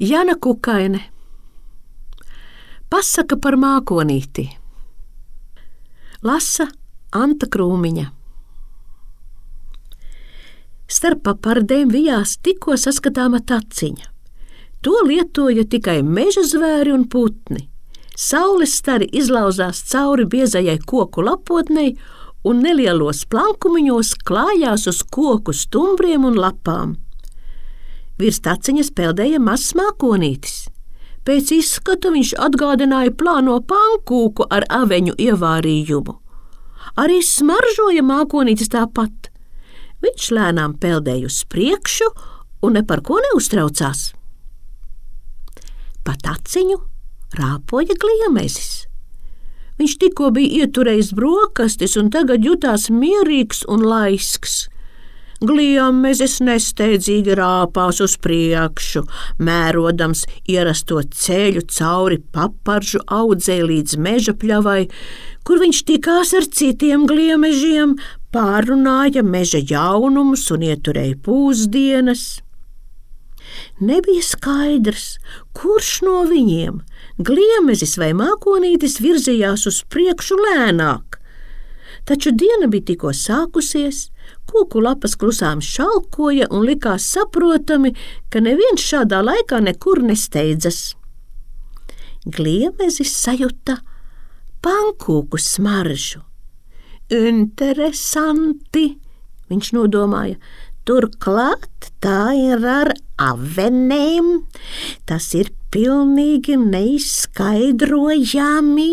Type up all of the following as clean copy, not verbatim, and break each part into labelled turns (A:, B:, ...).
A: Jana Kukaine. Pasaka par mākonīti. Lasa Anta Krūmiņa. Starp papardēm vijās tikko saskatāma taciņa. To lietoja tikai meža zvēri un putni. Saules stari izlauzās cauri biezajai koku lapotnei un nelielos plankumiņos klājās uz koku stumbriem un lapām. Virs taciņas peldēja mazs mākonītis. Pēc izskata viņš atgādināja plāno pankūku ar aveņu ievārījumu. Arī smaržoja mākonītis tāpat. Viņš lēnām peldēja uz priekšu un ne par ko neuztraucās. Pa taciņu rāpoja gliemezis. Viņš tikko bija ieturējis brokastis un tagad jutās mierīgs un laisks. Gliemezis nesteidzīgi rāpās uz priekšu, mērodams ierasto ceļu cauri paparžu audzei līdz meža pļavai, kur viņš tikās ar citiem gliemežiem, pārrunāja meža jaunumus un ieturēja pūsdienas. Nebija skaidrs, kurš no viņiem, gliemezis vai mākonītis, virzījās uz priekšu lēnāk. Taču diena bija tikko sākusies, koku lapas klusām šalkoja un likās saprotami, ka neviens šādā laikā nekur nesteidzas. Gliemezis sajuta pankūku smaržu. Interesanti, viņš nodomāja, turklāt tā ir ar avenēm, tas ir pilnīgi neizskaidrojami.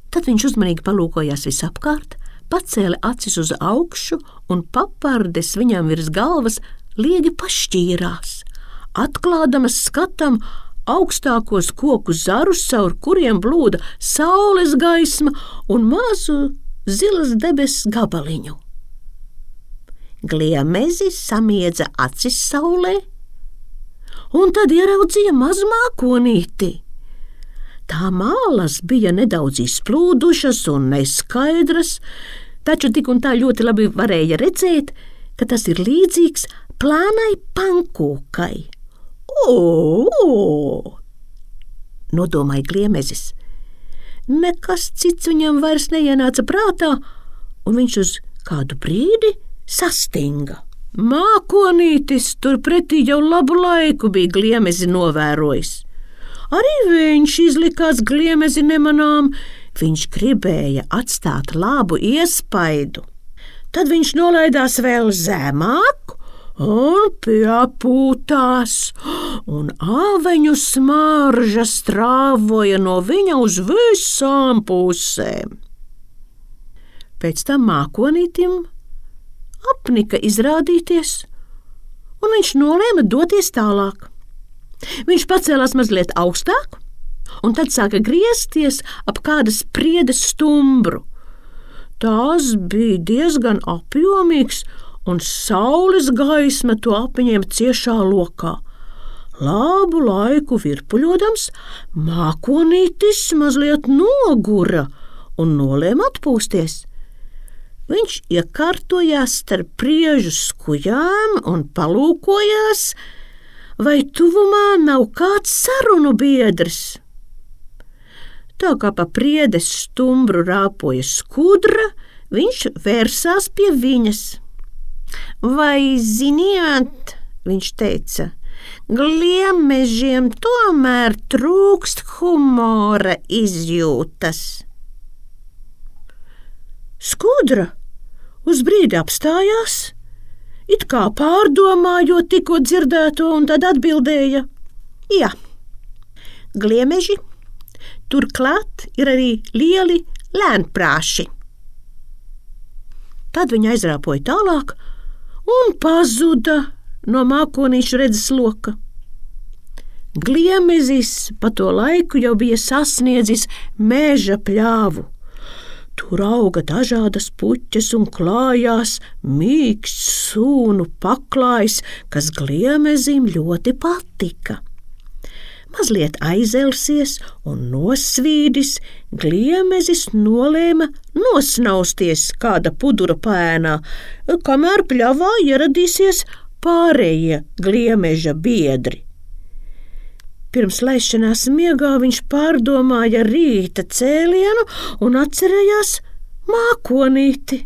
A: Tad viņš uzmanīgi palūkojās visapkārt, pacēla acis uz augšu un papardes viņam virs galvas liegi pašķīrās, atklādamas skatam augstākos koku zarus, caur kuriem blūda saules gaisma un mazu zilas debesu gabaliņu. Gliemezis samiedza acis saulē un tad ieraudzīja mazu mākonīti. Tā mālas bija nedaudz izplūdušas un neskaidras, taču tik un tā ļoti labi varēja redzēt, ka tas ir līdzīgs plānai pankūkai. Nodomāja gliemezis. Nekas cits viņam vairs neienāca prātā, un viņš uz kādu brīdi sastinga. Mākonītis turpretī jau labu laiku bija gliemezi novērojis. Arī viņš izlikās gliemezi nemanām, viņš gribēja atstāt labu iespaidu. Tad viņš nolaidās vēl zemāk un piepūtās, un aveņu smarža strāvoja no viņa uz visām pusēm. Pēc tam mākonītim apnika izrādīties, un viņš nolēma doties tālāk. Viņš pacēlās mazliet augstāk, un tad sāka griezties ap kādas priedes stumbru. Tās bija diezgan apjomīgs, un saules gaisma to apņēma ciešā lokā. Labu laiku virpuļodams, mākonītis mazliet nogura un nolēma atpūsties. Viņš iekārtojās starp priežu skujām un palūkojās, vai tuvumā nav kāds sarunu biedrs. Tā kā pa priedes stumbru rāpoja skudra, viņš vērsās pie viņas. Vai ziniet, viņš teica, gliemežiem tomēr trūkst humora izjūtas. Skudra uz brīdi apstājās, it kā pārdomājot tikko dzirdēto, un tad atbildēja: jā, gliemeži, turklāt ir arī lieli lēnprāši. Tad viņa aizrāpoja tālāk un pazuda no mākonīšu redzes loka. Gliemezis pa to laiku jau bija sasniedzis meža pļāvu. Tur auga dažādas puķes un klājās mīksts sūnu paklājs, kas gliemezim ļoti patika. Mazliet aizelsies un nosvīdis, gliemezis nolēma nosnausties kāda pudura pēnā, kamēr pļavā ieradīsies pārējie gliemeža biedri. Pirms laišanās miegā viņš pārdomāja rīta cēlienu un atcerējās mākonīti,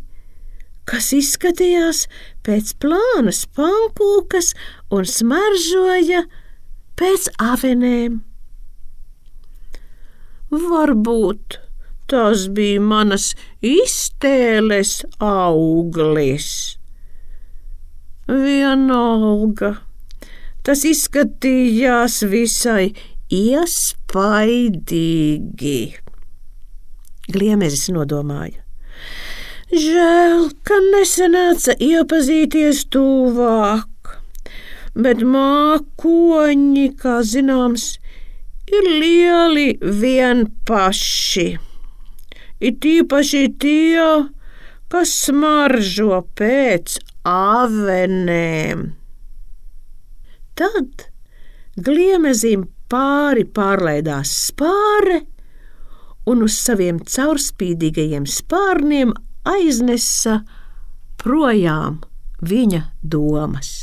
A: kas izskatījās pēc plānas pankūkas un smaržoja pēc avenēm. Varbūt tas bija manas iztēles auglis. Vienalga, tas izskatījās visai iespaidīgi. Gliemezis nodomāja. Žēl, ka nesanāca iepazīties tuvāk, bet mākoņi, kā zināms, ir lieli vien paši. It īpaši tie, kas smaržo pēc avenēm. Tad Gliemezim pārlaidās spāre un uz saviem caurspīdīgajiem spārniem aiznesa projām viņa domas.